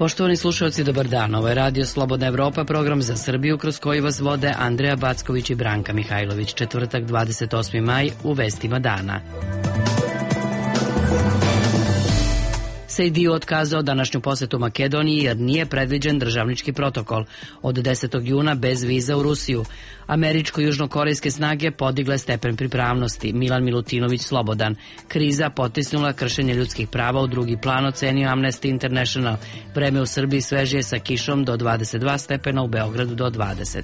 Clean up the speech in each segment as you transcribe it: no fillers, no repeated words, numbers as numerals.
Poštovani slušalci, dobar dan. Ovo je Radio Slobodna Evropa, program za Srbiju kroz koji vas vode Andreja Backović i Branka Mihajlović. Četvrtak, 28. maj, u vestima dana. Sejdiu otkazao današnju posetu Makedoniji jer nije predviđen državnički protokol. Od 10. juna bez viza u Rusiju. Američko-južnokorejske snage podigle stepen pripravnosti. Milan Milutinović slobodan. Kriza potisnula kršenje ljudskih prava u drugi plan, ocenio Amnesty International. Vreme u Srbiji svežije sa kišom do 22 stepena, u Beogradu do 20.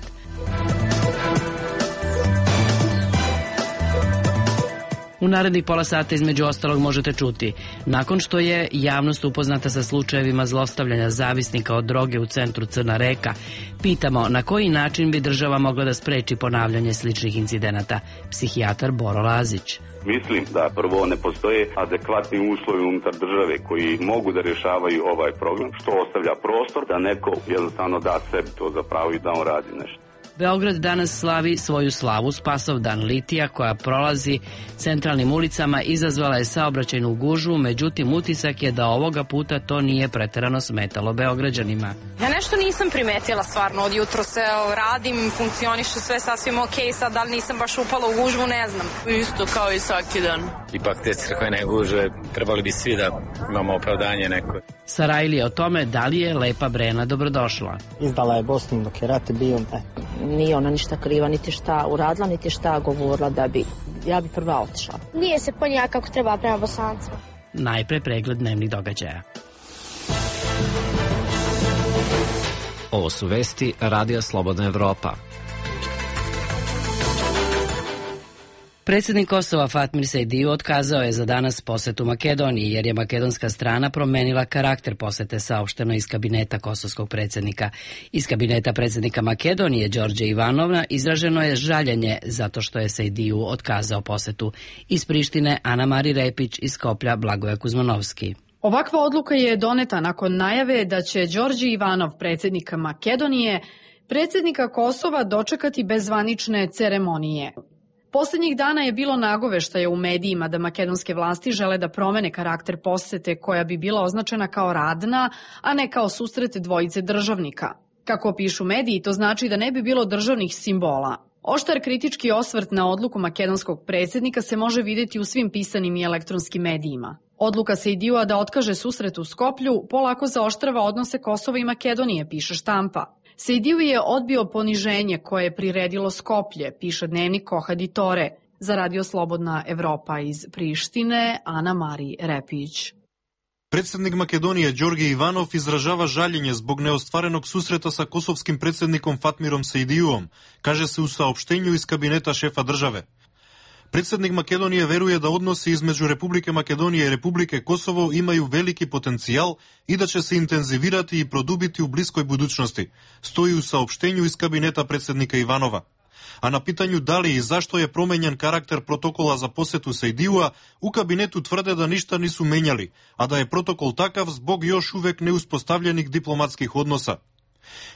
U narednih pola sata između ostalog možete čuti: nakon što je javnost upoznata sa slučajevima zlostavljanja zavisnika od droge u centru Crna Reka, pitamo na koji način bi država mogla da spreči ponavljanje sličnih incidenata. Psihijatar Boro Lazić. Mislim da prvo ne postoje adekvatni uslovi unutar države koji mogu da rješavaju ovaj problem, što ostavlja prostor da neko jednostavno da sebi to za pravo i da on radi nešto. Beograd danas slavi svoju slavu. Spasovdan litija koja prolazi centralnim ulicama izazvala je saobraćajnu gužvu, međutim utisak je da ovoga puta to nije preterano smetalo Beograđanima. Ja nešto nisam primetila stvarno, od jutro se radim, funkcionišu sve sasvim ok, sad da li nisam baš upala u gužvu, ne znam. Isto kao i svaki dan. Ipak te crkvene gužve trebali bi svi da imamo opravdanje neko. Sarajlije o tome da li je Lepa Brena dobrodošla. Izdala je Bosnu dok je rat bio. Nije ona ništa kriva, niti šta uradila, niti šta govorila da bi, ja bi prva otišla. Nije se ponijela kako treba prema Bosancima. Najpre pregled dnevnih događaja. Ovo su vesti Radija Slobodna Evropa. Predsjednik Kosova Fatmir Sejdiu otkazao je za danas posetu Makedoniji jer je makedonska strana promenila karakter posete, saopšteno iz kabineta kosovskog predsjednika. Iz kabineta predsjednika Makedonije Đorđe Ivanova izraženo je žaljenje zato što je Sejdiu otkazao posetu. Iz Prištine Ana Mari Repić, iz Skoplja Blagoja Kuzmanovski. Ovakva odluka je doneta nakon najave da će Đorđe Ivanov, predsjednik Makedonije, predsjednika Kosova dočekati bez zvanične ceremonije. Poslednjih dana je bilo nagoveštaja u medijima da makedonske vlasti žele da promene karakter posete koja bi bila označena kao radna, a ne kao susret dvojice državnika. Kako pišu mediji, to znači da ne bi bilo državnih simbola. Oštar kritički osvrt na odluku makedonskog predsjednika se može vidjeti u svim pisanim i elektronskim medijima. Odluka Sejdiua da otkaže susret u Skoplju polako zaoštrava odnose Kosova i Makedonije, piše štampa. Sejdiu je odbio poniženje koje je priredilo Skoplje, piše dnevnik Kohadi Tore. Za Radio Slobodna Evropa iz Prištine, Ana Mari Repić. Predsjednik Makedonije Đorđe Ivanov izražava žaljenje zbog neostvarenog susreta sa kosovskim predsjednikom Fatmirom Sejdiuom, kaže se u saopštenju iz kabineta šefa države. Predsjednik Makedonije veruje da odnosi između Republike Makedonije i Republike Kosovo imaju veliki potencijal i da će se intenzivirati i produbiti u bliskoj budućnosti, stoji u saopštenju iz kabineta predsjednika Ivanova. A na pitanju da li i zašto je promenjen karakter protokola za posetu Sejdiua, u kabinetu tvrde da ništa nisu menjali, a da je protokol takav zbog još uvek neuspostavljenih diplomatskih odnosa.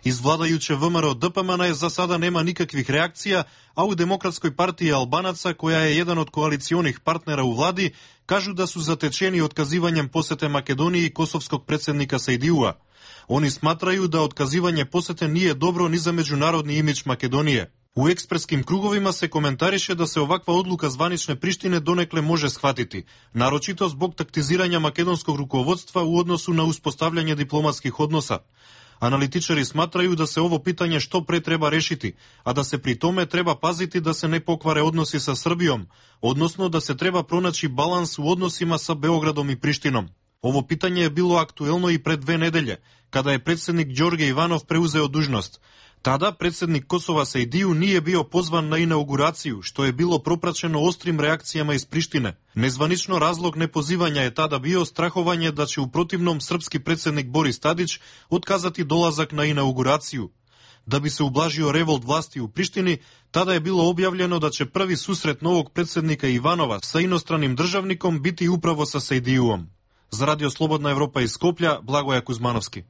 Iz vladajuće VMRO DPMN za sada nema nikakvih reakcija, a u Demokratskoj partiji Albanaca, koja je jedan od koalicionih partnera u vladi, kažu da su zatečeni otkazivanjem posete Makedoniji kosovskog predsjednika Sejdiua. Oni smatraju da otkazivanje posete nije dobro ni za međunarodni imidž Makedonije. U ekspreskim krugovima se komentariše da se ovakva odluka zvanične Prištine donekle može shvatiti, naročito zbog taktiziranja makedonskog rukovodstva u odnosu na uspostavljanje diplomatskih odnosa. Analitičari smatraju da se ovo pitanje što pre treba rešiti, a da se pri tome treba paziti da se ne pokvare odnosi sa Srbijom, odnosno da se treba pronaći balans u odnosima sa Beogradom i Prištinom. Ovo pitanje je bilo aktuelno i pre 2 nedelje, kada je predsjednik Đorđe Ivanov preuzeo dužnost. Tada predsjednik Kosova Sejdiu nije bio pozvan na inauguraciju, što je bilo propraćeno oštrim reakcijama iz Prištine. Nezvanično razlog nepozivanja je tada bio strahovanje da će u protivnom srpski predsjednik Boris Tadić otkazati dolazak na inauguraciju. Da bi se ublažio revolt vlasti u Prištini, tada je bilo objavljeno da će prvi susret novog predsjednika Ivanova sa inostranim državnikom biti upravo sa Sejdiuom. Za Radio Slobodna Evropa iz Skoplja, Blagoja Kuzmanovski.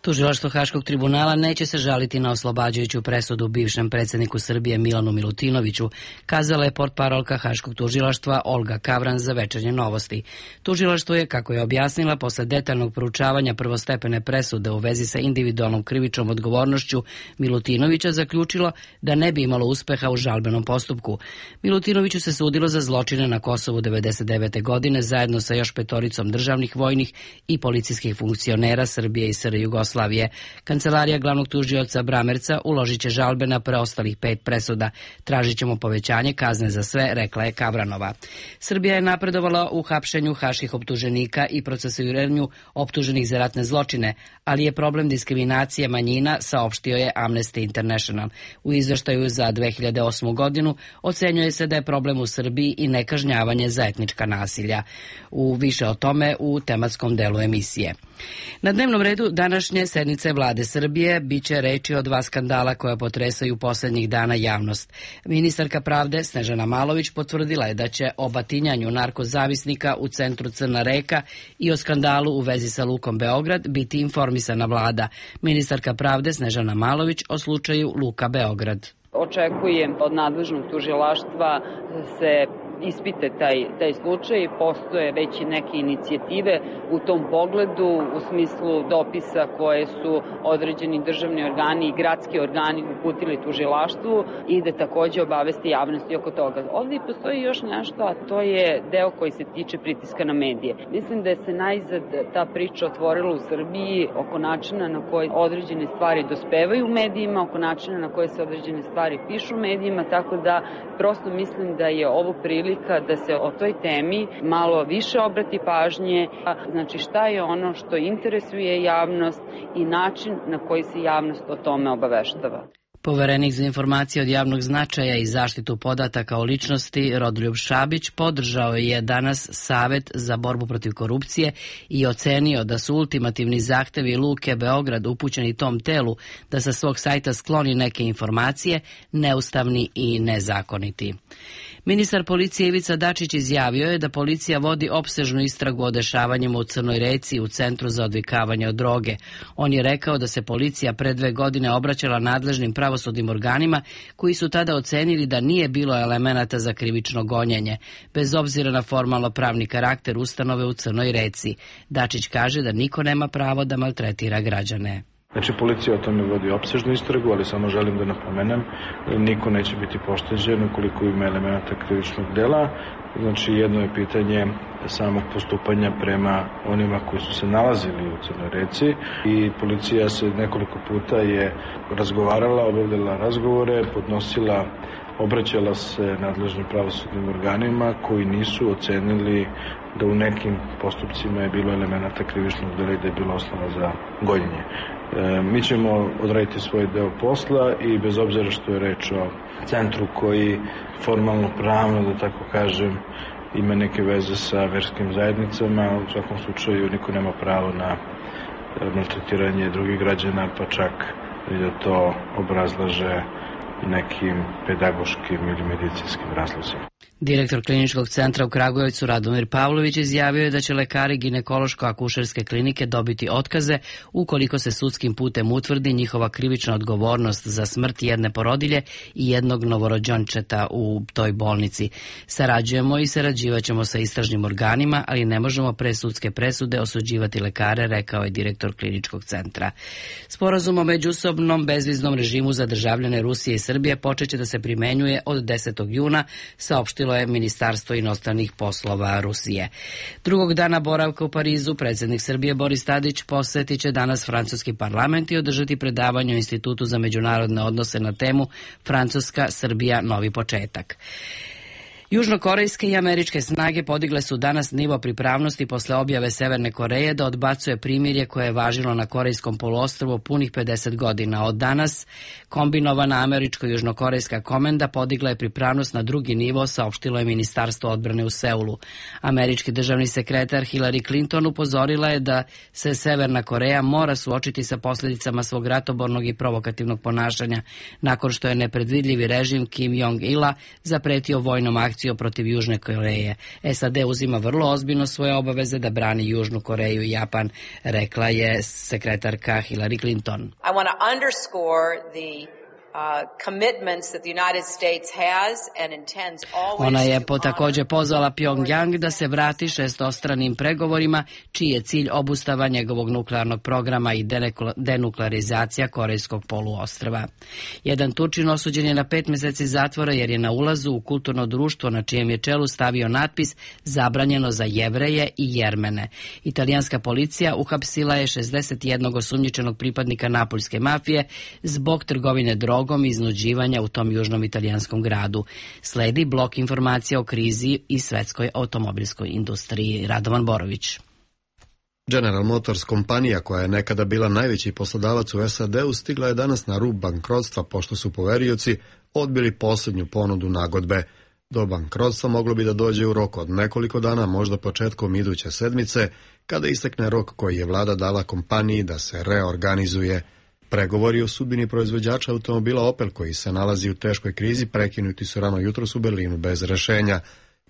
Tužilaštvo Haškog tribunala neće se žaliti na oslobađajuću presudu bivšem predsjedniku Srbije Milanu Milutinoviću, kazala je portparolka Haškog tužilaštva Olga Kavran za Večernje novosti. Tužilaštvo je, kako je objasnila, posle detaljnog proučavanja prvostepene presude u vezi sa individualnom krivičnom odgovornošću Milutinovića zaključilo da ne bi imalo uspeha u žalbenom postupku. Milutinoviću se sudilo za zločine na Kosovu 1999. godine zajedno sa još 5 državnih, vojnih i policijskih funkcionera Srbije i SR Jugoslavije. Kancelarija glavnog tužioca Bramerca uložit će žalbe na preostalih 5 presuda. Tražit ćemo povećanje kazne za sve, rekla je Kavranova. Srbija je napredovala u hapšenju haških optuženika i procesuiranju optuženih za ratne zločine, ali je problem diskriminacije manjina, saopštio je Amnesty International. U izveštaju za 2008. godinu ocenjuje se da je problem u Srbiji i nekažnjavanje za etnička nasilja. Više o tome u tematskom delu emisije. Na dnevnom redu današnje sednice Vlade Srbije biće reči o 2 skandala koja potresaju posljednjih dana javnost. Ministarka pravde Snežana Malović potvrdila je da će o batinjanju narkozavisnika u centru Crna Reka i o skandalu u vezi sa Lukom Beograd biti informisana vlada. Ministarka pravde Snežana Malović o slučaju Luka Beograd. Očekujem od nadležnog tužilaštva se ispite taj slučaj. Postoje već i neke inicijative u tom pogledu u smislu dopisa koje su određeni državni organi i gradski organi uputili tužilaštvu i da takođe obavesti javnosti oko toga. Ovdje postoji još nešto, a to je deo koji se tiče pritiska na medije. Mislim da je se najzad ta priča otvorila u Srbiji oko načina na koji određene stvari dospevaju u medijima, oko načina na koje se određene stvari pišu u medijima, tako da prosto mislim da je ovo prilika da se o toj temi malo više obrati pažnje, znači šta je ono što interesuje javnost i način na koji se javnost o tome obaveštava. Poverenik za informacije od javnog značaja i zaštitu podataka o ličnosti Rodoljub Šabić podržao je danas Savet za borbu protiv korupcije i ocenio da su ultimativni zahtevi Luke Beograd upućeni tom telu da sa svog sajta skloni neke informacije neustavni i nezakoniti. Ministar policije Ivica Dačić izjavio je da policija vodi opsežnu istragu o dešavanjima u Crnoj Reci u Centru za odvikavanje od droge. On je rekao da se policija pre 2 godine obraćala nadležnim pravosudnim organima koji su tada ocenili da nije bilo elemenata za krivično gonjenje, bez obzira na formalno pravni karakter ustanove u Crnoj Reci. Dačić kaže da niko nema pravo da maltretira građane. Znači, policija o tome vodi opsežnu istragu, ali samo želim da napomenem, niko neće biti pošteđen ukoliko ima elemenata krivičnog dela. Znači, jedno je pitanje samog postupanja prema onima koji su se nalazili u Crnoj Reci i policija se nekoliko puta je razgovarala, obavljala razgovore, obraćala se nadležnim pravosudnim organima koji nisu ocenili da u nekim postupcima je bilo elemenata krivičnog dela i da je bilo osnova za gonjenje. Mi ćemo odraditi svoj deo posla i bez obzira što je reč o centru koji formalno pravno, da tako kažem, ima neke veze sa verskim zajednicama, u svakom slučaju niko nema pravo na maltretiranje drugih građana, pa čak i da to obrazlaže nekim pedagoškim ili medicinskim razlozima. Direktor kliničkog centra u Kragujevcu Radomir Pavlović izjavio je da će lekari ginekološko-akušerske klinike dobiti otkaze ukoliko se sudskim putem utvrdi njihova krivična odgovornost za smrt jedne porodilje i jednog novorođenčeta u toj bolnici. Sarađujemo i sarađivaćemo sa istražnim organima, ali ne možemo pre sudske presude osuđivati lekare, rekao je direktor kliničkog centra. Sporazum o međusobnom bezviznom režimu za državljane Rusije i Srbije počeće da se primenjuje od 10. juna, saopštilo je Ministarstvo inostranih poslova Rusije. Drugog dana boravka u Parizu predsjednik Srbije Boris Tadić posjetit će danas francuski parlament i održati predavanje u Institutu za međunarodne odnose na temu Francuska, Srbija, novi početak. Južnokorejske i američke snage podigle su danas nivo pripravnosti posle objave Severne Koreje da odbacuje primirje koje je važilo na Korejskom poluostrvu punih 50 godina. Od danas kombinovana američko-južnokorejska komenda podigla je pripravnost na drugi nivo, saopštilo je Ministarstvo odbrane u Seulu. Američki državni sekretar Hillary Clinton upozorila je da se Severna Koreja mora suočiti sa posljedicama svog ratobornog i provokativnog ponašanja nakon što je nepredvidljivi režim Kim Jong-ila zapretio vojnom akcijom sankciju protiv Južne Koreje. SAD uzima vrlo ozbiljno svoje obaveze da brani Južnu Koreju i Japan, rekla je sekretarka Hillary Clinton. I want to underscore the commitments that the United States has and intends always. Ona je također pozvala Pyongyang da se vrati šestostranim pregovorima, čiji je cilj obustava njegovog nuklearnog programa i denuklearizacija Korejskog poluostrva. Jedan Turčin osuđen je na 5 mjeseci zatvora jer je na ulazu u kulturno društvo na čijem je čelu stavio natpis zabranjeno za Jevreje i Jermene. Italijanska policija uhapsila je 61 osumnjičenog pripadnika napoljske mafije zbog trgovine drogom i iznuđivanja u tom južnom italijanskom gradu. Sledi blok informacija o krizi i svetskoj automobilskoj industriji. Radovan Borović. General Motors, kompanija koja je nekada bila najveći poslodavac u SAD-u, stigla je danas na rub bankrotstva pošto su poverioci odbili posljednju ponudu nagodbe. Do bankrotstva moglo bi da dođe u roku od nekoliko dana, možda početkom iduće sedmice, kada istekne rok koji je vlada dala kompaniji da se reorganizuje. Pregovori o sudbini proizvođača automobila Opel, koji se nalazi u teškoj krizi, prekinuti su rano jutros u Berlinu bez rešenja.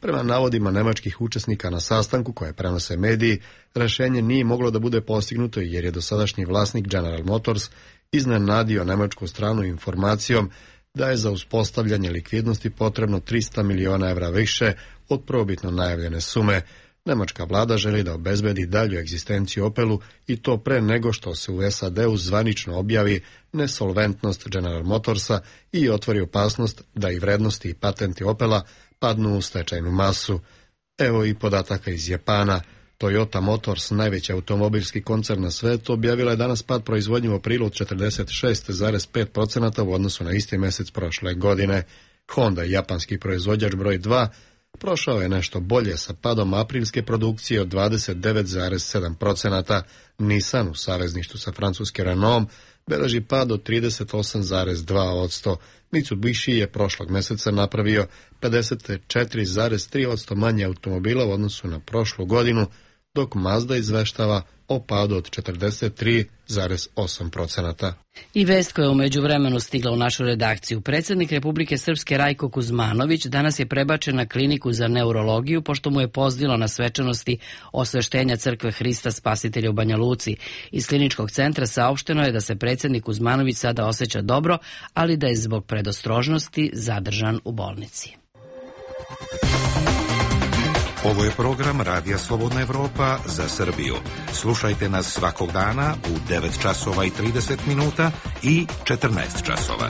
Prema navodima nemačkih učesnika na sastanku koje prenose mediji, rešenje nije moglo da bude postignuto jer je dosadašnji vlasnik General Motors iznenadio nemačku stranu informacijom da je za uspostavljanje likvidnosti potrebno 300 miliona evra više od prvobitno najavljene sume. Nemačka vlada želi da obezbedi dalju egzistenciju Opelu i to pre nego što se u SAD-u zvanično objavi nesolventnost General Motorsa i otvori opasnost da i vrednosti i patenti Opela padnu u stečajnu masu. Evo i podataka iz Japana. Toyota Motors, najveći automobilski koncern na svetu, objavila je danas pad proizvodnje u aprilu od 46,5% u odnosu na isti mjesec prošle godine. Honda, japanski proizvođač broj 2, prošao je nešto bolje sa padom aprilske produkcije od 29,7%. Nissan u savezništvu sa francuske Renault beleži pad od 38,2%. Mitsubishi je prošlog mjeseca napravio 54,3% manje automobila u odnosu na prošlu godinu, dok Mazda izveštava o padu od 43,8%. I vest koja je u međuvremenu stigla u našu redakciju. Predsjednik Republike Srpske Rajko Kuzmanović danas je prebačen na kliniku za neurologiju pošto mu je pozdilo na svečanosti osveštenja Crkve Hrista Spasitelja u Banja Luci. Iz kliničkog centra saopšteno je da se predsjednik Kuzmanović sada osjeća dobro, ali da je zbog predostrožnosti zadržan u bolnici. Ovo je program Radija Slobodna Evropa za Srbiju. Slušajte nas svakog dana u 9 časova i 30 minuta i 14 časova.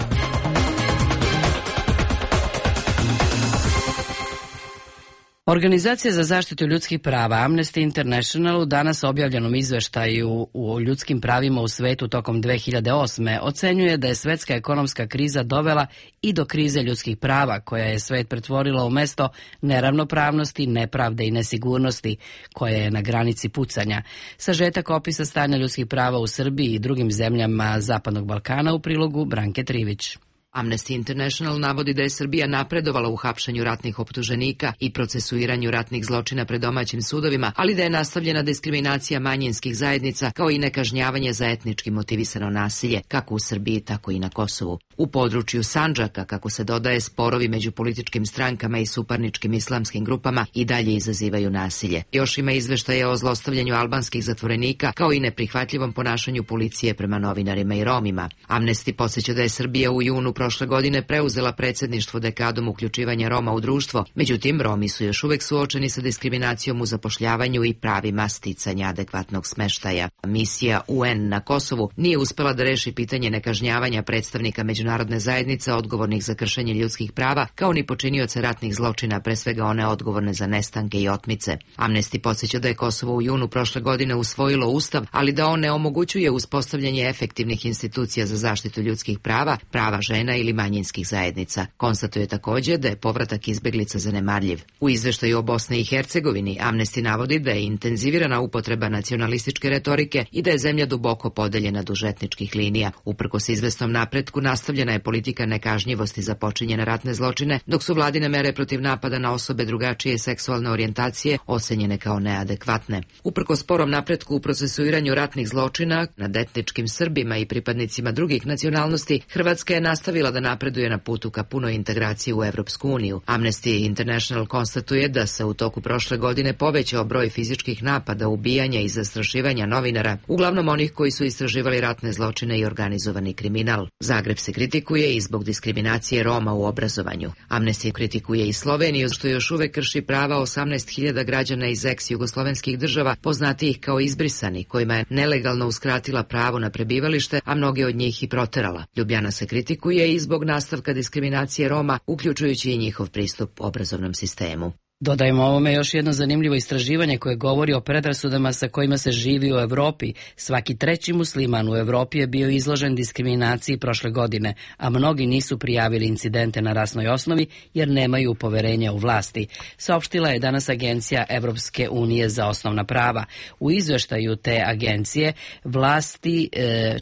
Organizacija za zaštitu ljudskih prava Amnesty International u danas objavljenom izveštaju o ljudskim pravima u svetu tokom 2008. ocenjuje da je svetska ekonomska kriza dovela i do krize ljudskih prava, koja je svet pretvorila u mesto neravnopravnosti, nepravde i nesigurnosti, koja je na granici pucanja. Sažetak opisa stanja ljudskih prava u Srbiji i drugim zemljama Zapadnog Balkana u prilogu Branke Trivić. Amnesty International navodi da je Srbija napredovala u hapšenju ratnih optuženika i procesuiranju ratnih zločina pred domaćim sudovima, ali da je nastavljena diskriminacija manjinskih zajednica kao i nekažnjavanje za etnički motivisano nasilje, kako u Srbiji, tako i na Kosovu. U području Sandžaka, kako se dodaje, sporovi među političkim strankama i suparničkim islamskim grupama i dalje izazivaju nasilje. Još ima izveštaje o zlostavljanju albanskih zatvorenika, kao i neprihvatljivom ponašanju policije prema novinarima i Romima. Amnesty podsjeća da je Srbija u junu prošle godine preuzela predsjedništvo dekadom uključivanja Roma u društvo, međutim Romi su još uvek suočeni sa diskriminacijom u zapošljavanju i pravima sticanja adekvatnog smeštaja. Misija UN na Kosovu nije uspela da reši pitanje nekažnjavanja predstavnika međunarodne zajednice odgovornih za kršenje ljudskih prava, kao ni počinioce ratnih zločina, pre svega one odgovorne za nestanke i otmice. Amnesty podsjeća da je Kosovo u junu prošle godine usvojilo ustav, ali da on ne omogućuje uspostavljanje efektivnih institucija za zaštitu ljudskih prava, prava žena ili manjinskih zajednica. Konstatuje također da je povratak izbeglica zanemarljiv. U izveštaju o Bosni i Hercegovini Amnesty navodi da je intenzivirana upotreba nacionalističke retorike i da je zemlja duboko podeljena duž etničkih linija. Uprkos izvesnom napretku nastavljena je politika nekažnjivosti za počinjene ratne zločine, dok su vladine mere protiv napada na osobe drugačije seksualne orijentacije ocenjene kao neadekvatne. Uprkos sporom napretku u procesuiranju ratnih zločina nad etničkim Srbima i pripadnicima drugih nacionalnosti, Hrvatska je nastavila nastavila da napreduje na putu ka punoj integraciji u Evropsku uniju. Amnesty International konstatuje da se u toku prošle godine povećao broj fizičkih napada, ubijanja i zastrašivanja novinara, uglavnom onih koji su istraživali ratne zločine i organizovani kriminal. Zagreb se kritikuje i zbog diskriminacije Roma u obrazovanju. Amnesty kritikuje i Sloveniju, što još uvek krši prava 18.000 građana iz ex-jugoslovenskih država, poznatijih kao izbrisani, kojima je nelegalno uskratila pravo na prebivalište, a mnoge od njih i proterala. Ljubljana se kritikuje i zbog nastavka diskriminacije Roma, uključujući i njihov pristup obrazovnom sistemu. Dodajmo ovome još jedno zanimljivo istraživanje koje govori o predrasudama sa kojima se živi u Evropi. Svaki treći musliman u Evropi je bio izložen diskriminaciji prošle godine, a mnogi nisu prijavili incidente na rasnoj osnovi jer nemaju poverenja u vlasti. Saopštila je danas Agencija Evropske unije za osnovna prava. U izveštaju te agencije vlasti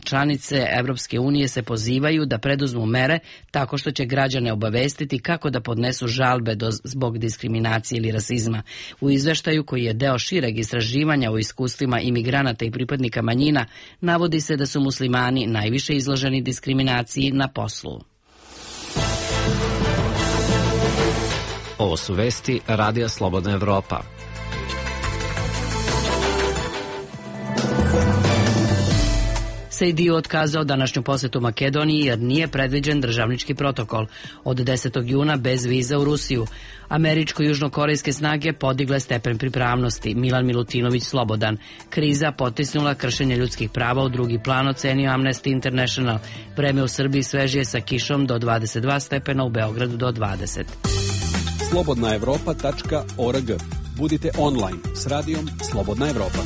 članice Evropske unije se pozivaju da preduzmu mere tako što će građane obavestiti kako da podnesu žalbe zbog diskriminacije ili rasizma. U izveštaju, koji je deo šireg istraživanja o iskustvima imigranata i pripadnika manjina, navodi se da su muslimani najviše izloženi diskriminaciji na poslu. Ovo su vesti Radija Slobodna Evropa. SAD otkazao današnju posetu Makedoniji jer nije predviđen državnički protokol. Od 10. juna bez viza u Rusiju. Američko-južnokorejske snage podigle stepen pripravnosti. Milan Milutinović slobodan. Kriza potisnula kršenje ljudskih prava u drugi plan, ocenio Amnesty International. Vreme u Srbiji svežije sa kišom do 22 stepena, u Beogradu do 20. slobodnaevropa.org. Budite online s radijom Slobodna Evropa.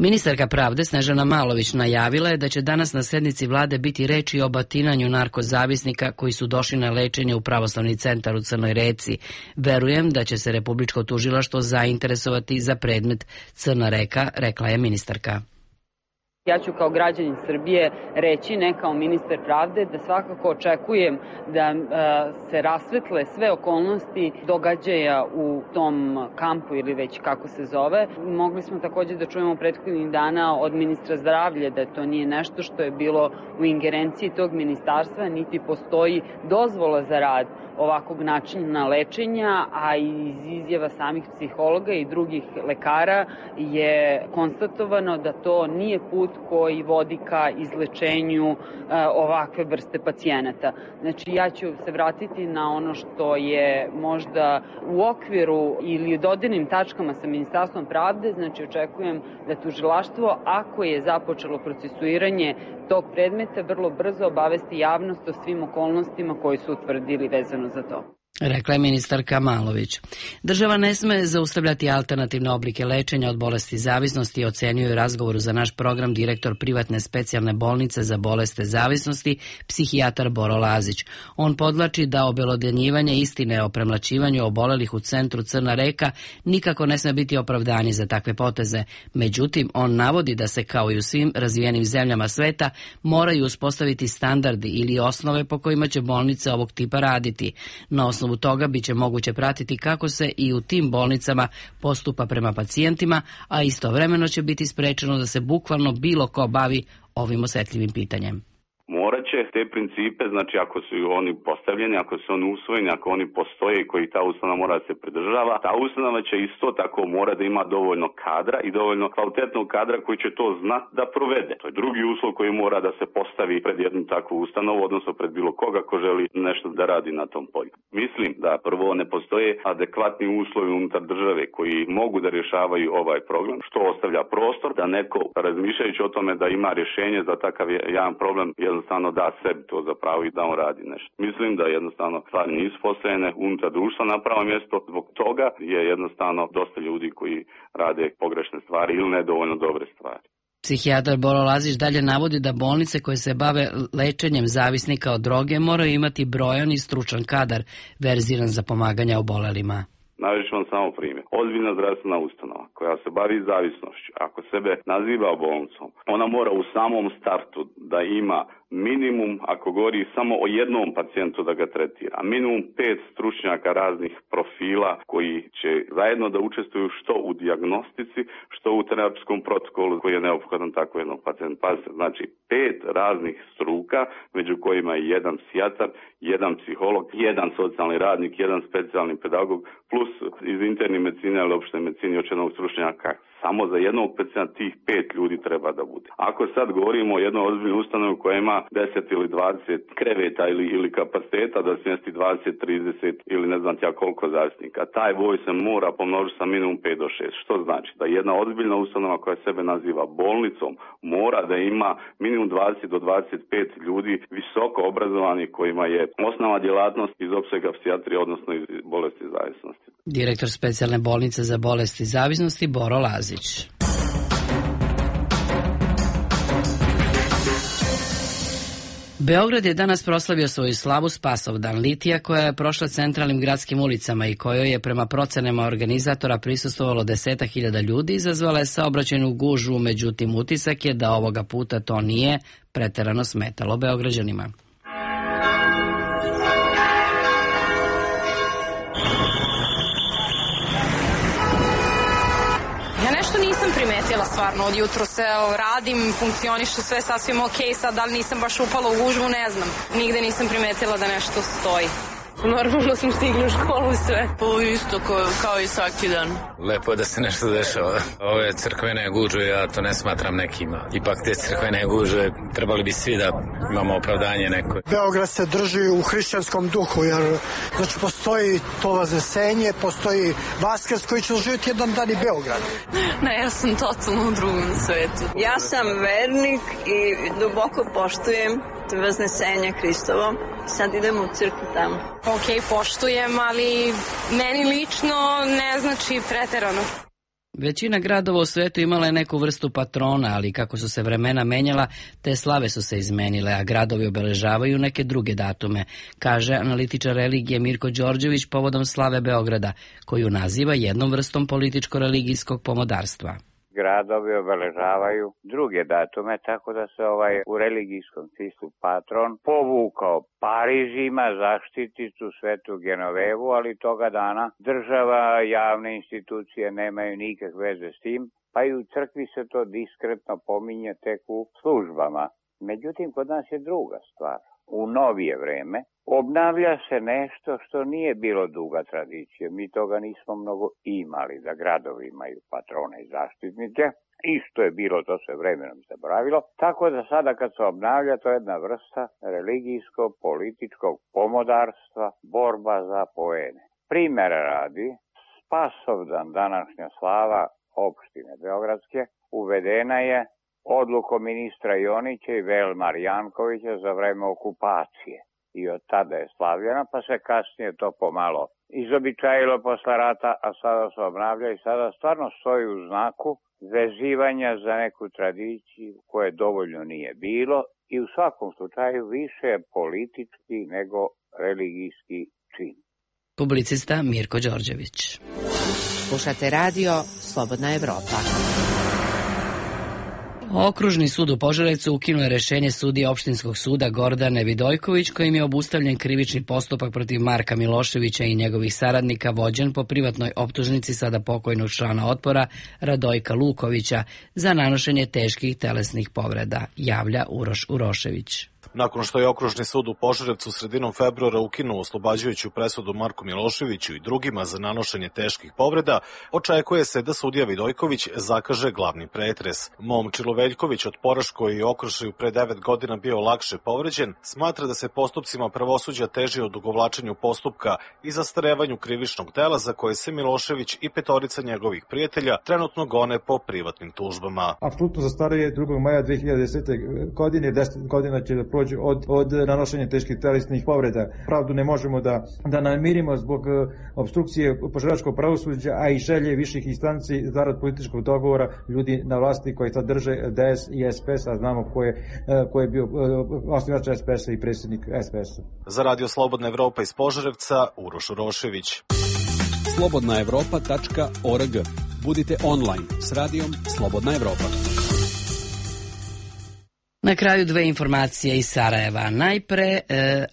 Ministarka pravde Snežana Malović najavila je da će danas na sednici vlade biti reči o batinanju narkozavisnika koji su došli na lečenje u pravoslavni centar u Crnoj Reci. Verujem da će se Republičko tužilaštvo zainteresovati za predmet Crna Reka, rekla je ministarka. Ja ću kao građanin Srbije reći, ne kao ministar pravde, da svakako očekujem da se rasvetle sve okolnosti događaja u tom kampu ili već kako se zove. Mogli smo također da čujemo prethodnih dana od ministra zdravlja da to nije nešto što je bilo u ingerenciji tog ministarstva, niti postoji dozvola za rad ovakvog načina lečenja, a iz izjava samih psihologa i drugih lekara je konstatovano da to nije put koji vodi ka izlečenju ovakve vrste pacijenata. Znači, ja ću se vratiti na ono što je možda u okviru ili dodirnim tačkama sa Ministarstvom pravde, znači očekujem da tužilaštvo, ako je započelo procesuiranje tog predmeta, vrlo brzo obavesti javnost o svim okolnostima koji su utvrdili vezano za to. Rekla je ministarka Malović. Država ne sme zaustavljati alternativne oblike lečenja od bolesti zavisnosti, ocenjuje u razgovoru za naš program direktor privatne specijalne bolnice za bolesti zavisnosti, psihijatar Boro Lazić. On podvlači da obelodanjivanje istine o premlaćivanju obolelih u centru Crna Reka nikako ne sme biti opravdanje za takve poteze. Međutim, on navodi da se, kao i u svim razvijenim zemljama sveta, moraju uspostaviti standardi ili osnove po kojima će bolnice ovog tipa raditi. Na osnovu toga biće moguće pratiti kako se i u tim bolnicama postupa prema pacijentima, a istovremeno će biti sprečeno da se bukvalno bilo ko bavi ovim osetljivim pitanjem. Morat će te principe, znači ako su oni postavljeni, ako su oni usvojeni, ako oni postoje i koji ta ustanova mora da se pridržava, ta ustanova će isto tako mora da ima dovoljno kadra i dovoljno kvalitetnog kadra koji će to znati da provede. To je drugi uslov koji mora da se postavi pred jednu takvu ustanovu, odnosno pred bilo koga ko želi nešto da radi na tom polju. Mislim da prvo ne postoje adekvatni uslovi unutar države koji mogu da rješavaju ovaj problem, što ostavlja prostor da neko, razmišljajući o tome da ima rješenje za takav jedan problem, jednostavno da sebi to zapravo i da on radi nešto. Mislim da jednostavno stvari nisu postavljene unutar društva na pravo mjesto, zbog toga je jednostavno dosta ljudi koji rade pogrešne stvari ili nedovoljno dobre stvari. Psihijatar Boro Lazić dalje navodi da bolnice koje se bave lečenjem zavisnika od droge moraju imati brojan i stručan kadar verziran za pomaganje obolelima. Navešću vam samo primjer. Ozbiljna zdravstvena ustanova koja se bavi zavisnošću, ako sebe naziva bolnicom, ona mora u samom startu da ima minimum, ako govori samo o jednom pacijentu da ga tretira, minimum 5 stručnjaka raznih profila koji će zajedno da učestvuju što u dijagnostici, što u terapijskom protokolu koji je neophodan tako jednom pacijentu. Pazite, znači 5 raznih struka, među kojima je jedan psihijatar, jedan psiholog, jedan socijalni radnik, jedan specijalni pedagog, plus iz interne medicine ili opšte medicine još jednog stručnjaka. Samo za jednog pacijenta tih 5 ljudi treba da bude. Ako sad govorimo o jednoj ozbiljnoj ustanovi koja ima 10 ili 20 kreveta ili kapaciteta da smjesti 20, 30 ili ne znam ja koliko zavisnika, taj broj se mora pomnožiti sa minimum 5 do 6. Što znači da jedna ozbiljna ustanova koja sebe naziva bolnicom mora da ima minimum 20 do 25 ljudi visoko obrazovani kojima je osnova djelatnost iz opsega psihijatrije, odnosno iz bolesti zavisnosti. Direktor specijalne bolnice za bolesti zavisnosti Boro Lazić. Beograd je danas proslavio svoju slavu Spasovdan litija koja je prošla centralnim gradskim ulicama i kojoj je prema procenama organizatora prisustvovalo 10.000 ljudi, izazvala je saobraćajnu gužvu, međutim utisak je da ovoga puta to nije preterano smetalo Beograđanima. Primetila stvarno, od jutro se radim, funkcioniše sve sasvim ok, sad da li nisam baš upala u gužvu, ne znam. Nigde nisam primetila da nešto stoji. Normalno smo stigli u školu i sve. Pa isto kao i svaki dan. Lepo je da se nešto dešava. Ove crkvene gužve, ja to ne smatram nekima. Ipak te crkvene gužve trebali bi svi da imamo opravdanje neko. Beograd se drži u hrišćanskom duhu, jer znači postoji to vaznesenje, postoji Vaskrs koji će živjeti jedan dan i Beograd. Ne, ja sam totalno u drugom svetu. Ja sam vernik i duboko poštujem Vaznesenje Hristovo. Sad idemo u crkvu tamo. Ok, poštujem, ali meni lično ne znači preterano. Većina gradova u svetu imala je neku vrstu patrona, ali kako su se vremena menjala, te slave su se izmenile, a gradovi obeležavaju neke druge datume, kaže analitičar religije Mirko Đorđević povodom slave Beograda, koju naziva jednom vrstom političko-religijskog pomodarstva. Gradovi obeležavaju druge datume, tako da se u religijskom smislu patron povukao. Pariz ima zaštiticu Svetu Genovevu, ali toga dana država, javne institucije nemaju nikakve veze s tim, pa i u crkvi se to diskretno pominje tek u službama. Međutim, kod nas je druga stvar. U novije vreme obnavlja se nešto što nije bilo duga tradicija. Mi toga nismo mnogo imali, da gradovi imaju patrone i zaštitnike. Isto je bilo, to se vremenom zaboravilo. Tako da sada kad se obnavlja, to je jedna vrsta religijsko-političkog pomodarstva, borba za poene. Primjera radi, Spasovdan, današnja slava opštine Beogradske, uvedena je odlukom ministra Jonića i Velmar Jankovića za vreme okupacije. I od tada je slavljena, pa se kasnije to pomalo izobičajilo posle rata, a sada se obnavlja i sada stvarno stoji u znaku vezivanja za neku tradiciju koje dovoljno nije bilo i u svakom slučaju više je politički nego religijski čin. Publicista Mirko Đorđević. Slušate radio Slobodna Evropa. Okružni sud u Požarevcu ukinuo je rešenje sudije opštinskog suda Gordane Vidojković kojim je obustavljen krivični postupak protiv Marka Miloševića i njegovih saradnika vođen po privatnoj optužnici sada pokojnog člana Otpora Radojka Lukovića za nanošenje teških telesnih povreda, javlja Uroš Urošević. Nakon što je Okružni sud u Požarevcu sredinom februara ukinuo oslobađajuću presudu Marku Miloševiću i drugima za nanošenje teških povreda, očekuje se da sudija Vidojković zakaže glavni pretres. Momčilo Veljković od Poraš, koji je u Okrušaju pre 9 godina bio lakše povređen, smatra da se postupcima pravosuđa teži od odugovlačenju postupka i zastarevanju krivičnog dela za koje se Milošević i petorica njegovih prijatelja trenutno gone po privatnim tužbama. Apsolutno zastaruje 2. maja 2010. godine, 10 godina će da prođe od nanošenja teških telesnih povreda. Pravdu ne možemo da namirimo zbog obstrukcije požaračkog pravosuđa, a i želje viših instanci zarad političkog dogovora ljudi na vlasti koji sad drže DS i SPS, a znamo ko je bio osnivač SPS-a i predsjednik SPS-a. Za Radio Slobodna Evropa iz Požarevca, Uroš Urošević. slobodnaevropa.org. Budite online s radijom Slobodna Evropa. Na kraju dve informacije iz Sarajeva. Najpre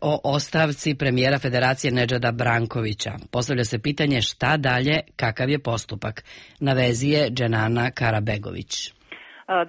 o ostavci premijera Federacije Nedžada Brankovića. Postavlja se pitanje šta dalje, kakav je postupak. Na vezi je Dženana Karabegović.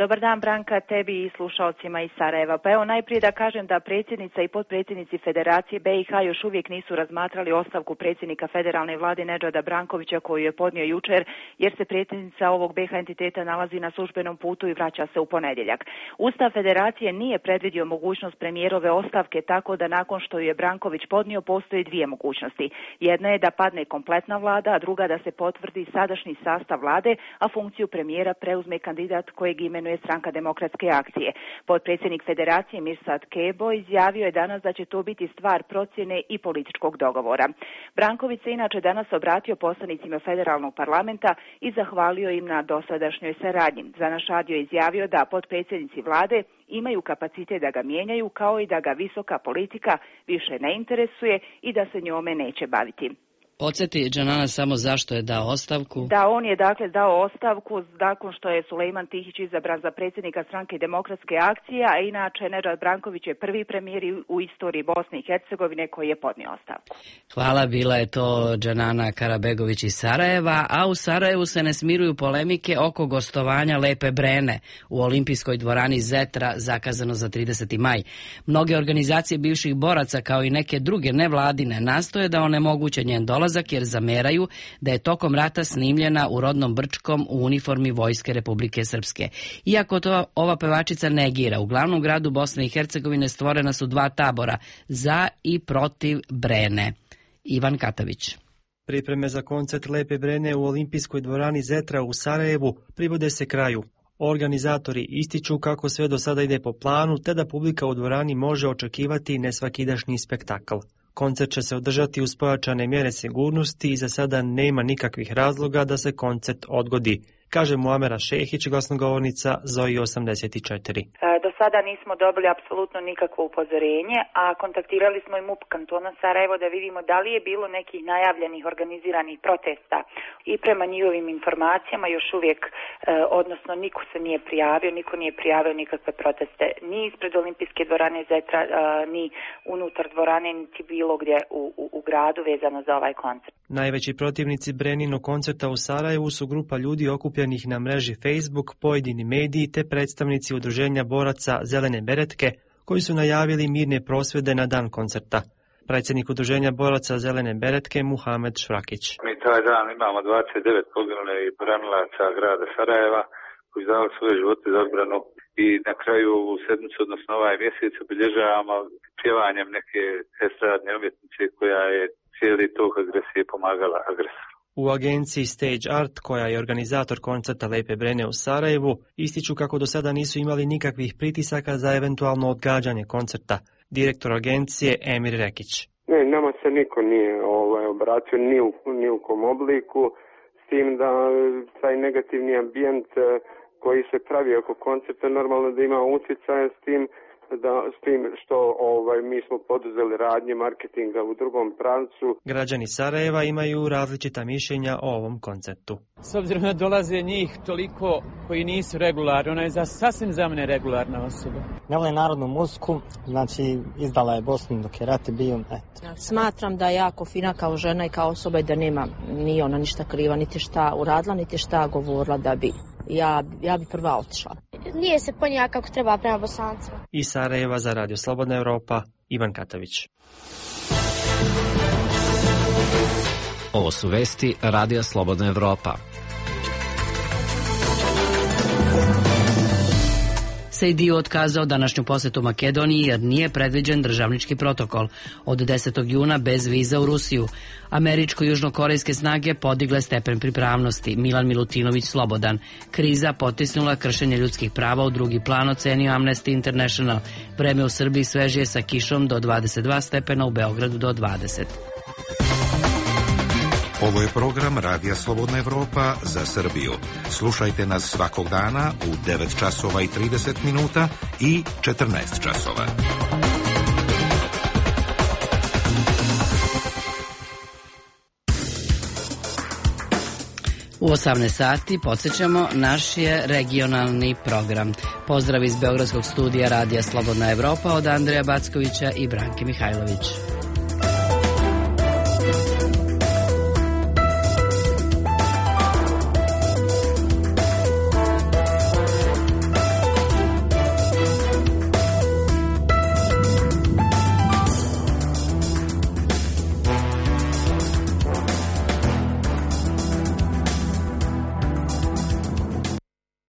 Dobar dan, Branka, tebi i slušalcima iz Sarajeva. Pa evo najprije da kažem da predsjednica i potpredsjednici Federacije BiH još uvijek nisu razmatrali ostavku predsjednika federalne vlade Nedžada Brankovića koju je podnio jučer, jer se predsjednica ovog BiH entiteta nalazi na službenom putu i vraća se u ponedjeljak. Ustav Federacije nije predvidio mogućnost premijerove ostavke, tako da nakon što je Branković podnio postoji dvije mogućnosti. Jedna je da padne kompletna vlada, a druga da se potvrdi sadašnji sastav vlade, a funkciju premijera preuzme kandidat kojeg imenuje Stranka demokratske akcije. Potpredsjednik Federacije Mirsad Kebo izjavio je danas da će to biti stvar procjene i političkog dogovora. Branković se inače danas obratio poslanicima federalnog parlamenta i zahvalio im na dosadašnjoj saradnji. Za naš radio izjavio da potpredsjednici vlade imaju kapacitet da ga mijenjaju, kao i da ga visoka politika više ne interesuje i da se njome neće baviti. Podsjeti Dženana samo zašto je dao ostavku. Da, on je dakle dao ostavku nakon što je Sulejman Tihić izabran za predsjednika Stranke demokratske akcije, a inače Nedžad Branković je prvi premijer u istoriji Bosne i Hercegovine koji je podnio ostavku. Hvala, bila je to Dženana Karabegović iz Sarajeva, a u Sarajevu se ne smiruju polemike oko gostovanja Lepe Brene u olimpijskoj dvorani Zetra zakazano za 30. maj. Mnoge organizacije bivših boraca kao i neke druge nevladine nastoje da onemoguće njen dolazak jer zameraju da je tokom rata snimljena u rodnom Brčkom u uniformi Vojske Republike Srpske. Iako to ova pevačica negira, u glavnom gradu Bosne i Hercegovine stvorena su dva tabora, za i protiv Brene. Ivan Katavić. Pripreme za koncert Lepe Brene u olimpijskoj dvorani Zetra u Sarajevu privode se kraju. Organizatori ističu kako sve do sada ide po planu, te da publika u dvorani može očekivati nesvakidašnji spektakl. Koncert će se održati uz pojačane mjere sigurnosti i za sada nema nikakvih razloga da se koncert odgodi, kaže Muamera Šehić, glasnogovornica Zoji 84. Do sada nismo dobili apsolutno nikakvo upozorenje, a kontaktirali smo i MUP kantona Sarajevo da vidimo da li je bilo nekih najavljenih organiziranih protesta. I prema njihovim informacijama još uvijek, odnosno niko se nije prijavio, niko nije prijavio nikakve proteste ni ispred olimpijske dvorane Zetra, ni unutar dvorane, niti bilo gdje u gradu vezano za ovaj koncert. Najveći protivnici Breninog koncerta u Sarajevu su grupa ljudi okupljenih na mreži Facebook, pojedini mediji te predstavnici udruženja boraca Zelene beretke koji su najavili mirne prosvjede na dan koncerta. Predsjednik udruženja boraca Zelene beretke Muhamed Švrakić. Mi taj dan imamo 29 poginulih branilaca grada Sarajeva koji dali svoje živote za odbranu i na kraju ovu sedmicu, odnosno ovaj mjesec obilježavamo pjevanjem neke estradne umjetnice koja je cijeli tok agresije pomagala agresoru. U agenciji Stage Art, koja je organizator koncerta Lepe Brene u Sarajevu, ističu kako do sada nisu imali nikakvih pritisaka za eventualno odgađanje koncerta. Direktor agencije Emir Rekić. Ne, nama se niko nije obratio ni u kom obliku, s tim da taj negativni ambijent koji se pravi oko koncerta normalno da ima utjecaja s tim što mi smo poduzeli radnje marketinga u drugom pravcu. Građani Sarajeva imaju različita mišljenja o ovom koncertu. S obzirom da dolaze njih toliko koji nisu regularni, ona je sasvim za mene regularna osoba. Ne vole narodnu muziku, znači izdala je Bosnu dok je rat bio. Smatram da je jako fina kao žena i kao osoba i da nema ni ona ništa kriva, niti šta uradila, niti šta govorila da bi. Ja bi prva otišla. Nije se ponijela kako treba prema Bosancima. Iz Sarajeva za Radio Slobodna Evropa, Ivan Katavić. Ovo su vesti Radija Slobodna Evropa. Sejdiu otkazao današnju posjetu Makedoniji jer nije predviđen državnički protokol. Od 10. juna bez viza u Rusiju. Američko-južnokorejske snage podigle stepen pripravnosti. Milan Milutinović slobodan. Kriza potisnula kršenje ljudskih prava u drugi plan, ocenio Amnesty International. Vreme u Srbiji svežije sa kišom do 22 stepena, u Beogradu do 20. Ovo je program Radija Slobodna Evropa za Srbiju. Slušajte nas svakog dana u 9 časova i 30 minuta i 14 časova. U 18 sati podsjećamo, naš je regionalni program. Pozdrav iz Beogradskog studija Radija Slobodna Evropa od Andreja Backovića i Branke Mihajlović.